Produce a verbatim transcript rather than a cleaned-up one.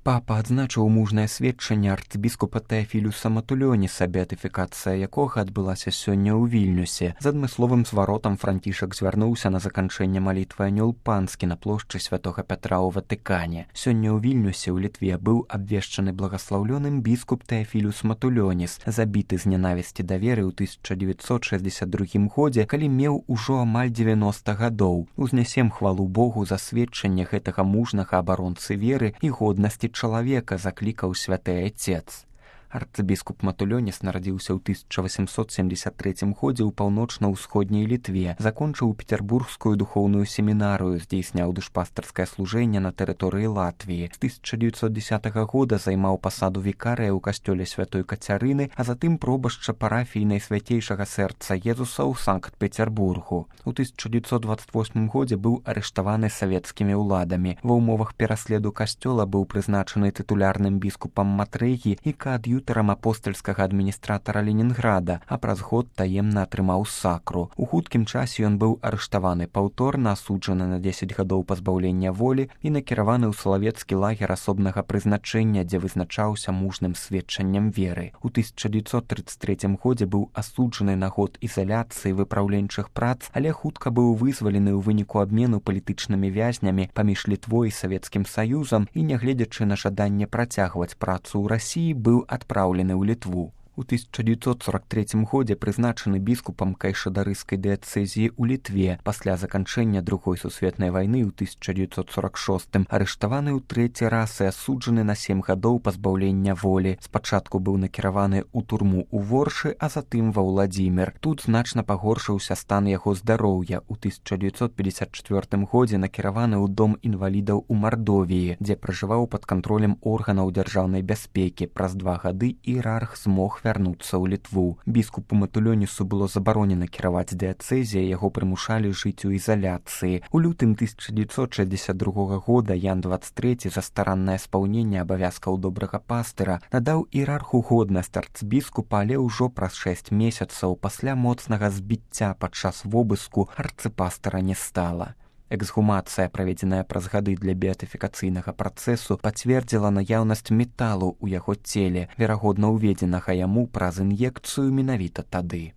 Папа адзначыў мужнае сведчанне арцыбіскупа Тэафілюса Матулёніса, беатыфікацыя якога адбылася сёння ў Вільнюсе. З адмысловым зваротам Францішак звярнуўся на заканчэнне малітвы анёл панскі на плошчы святога Пятра ў Ватыкане. Сёння ў Вільнюсе ў Літве быў абвешчаны благаслаўлёным біскуп Тэафілюс Матулёніс, забіты з нянавісці да веры ў тысяча дзевяцьсот шэсцьдзесят другім годзе, калі меў ужо амаль дзевяноста гадоў. Узнясем хвалу Богу за сведчанне гэтага мужнага абаронцы веры і годнасці чалавека, заклікаў святы Айцец. Арцыбіскуп Матулёніс нарадзіўся ў тысяча васемсот семдзесят трэцім годзе ў паўночна-ўсходняй Літве, закончыў пецярбургскую духоўную семінарыю, здзейсняў душпастарскае служэнне на тэрыторыі Латвіі. З тысяча дзевяцьсот дзесятага года займаў пасаду вікарыя ў касцёле святой Кацярыны, а затым пробашча парафіі Найсвяцейшага сэрца Езуса ў Санкт-Пецярбургу. У тысяча дзевяцьсот дваццаць восьмым годзе быў арыштаваны савецкімі ўладамі. Ва ўмовах пераследу касцёла быў прызначаны тытулярным біскупам Матрэгі і каад'ютарам апостальскага адміністратара Ленінграда, а праз год таемна атрымаў сакру. У хуткім часе ён быў арыштаваны паўторна, асуджаны на дзесяць гадоў пазбаўлення волі і накіраваны ў салавецкі лагер асобнага прызначэння, дзе вызначаўся мужным сведчаннем веры. У тысяча дзевяцьсот трыццаць трэцім годзе быў асуджаны на год ізаляцыі выпраўленчых прац, але хутка быў вызвалены ў выніку абмену палітычнымі вязнямі паміж Літвой і Савецкім Саюзам і, нягледзячы на жаданне працягваць працу ў Расіі, быў адпраўлены ў Літву. У тысяча дзевяцьсот сорак трэцім годзе прызначаны біскупам кайшадарыскай дыяцэзіі ў Літве. Пасля заканчэння другой сусветнай вайны ў тысяча дзевяцьсот сорак шостым арыштаваны ў трэці раз і асуджаны на сем гадоў пазбаўлення волі. Спачатку быў накіраваны ў турму ў Воршы, а затым ва Ўладзімір. Тут значна пагоршыўся стан яго здароўя. У тысяча дзевяцьсот пятьдесят чвёртым годзе накіраваны ў дом інвалідаў у Мардовіі, дзе пражываў пад кантролем органаў дзяржаўнай бяспекі. Праз два гады іерарх змог вярнуцца ў Літву. Біскупу Матулёнісу было забаронена кіраваць дыяцэзіяй, яго прымушалі жыць у ізаляцыі. У лютым тысяча дзевяцьсот шэсцьдзесят другога года Ян дваццаць трэці за стараннае спаўненне абавязкаў добрага пастыра надаў іерарху годнасць арцыбіскупа, але ўжо праз шэсць месяцаў пасля моцнага збіцця падчас вобыску арцыпастара не стала. Эксгумацыя, праведзеная праз гады для беатыфікацыйнага працэсу, пацвердзіла наяўнасць металу ў яго целе, верагодна ўведзенага яму праз ін'екцыю менавіта тады.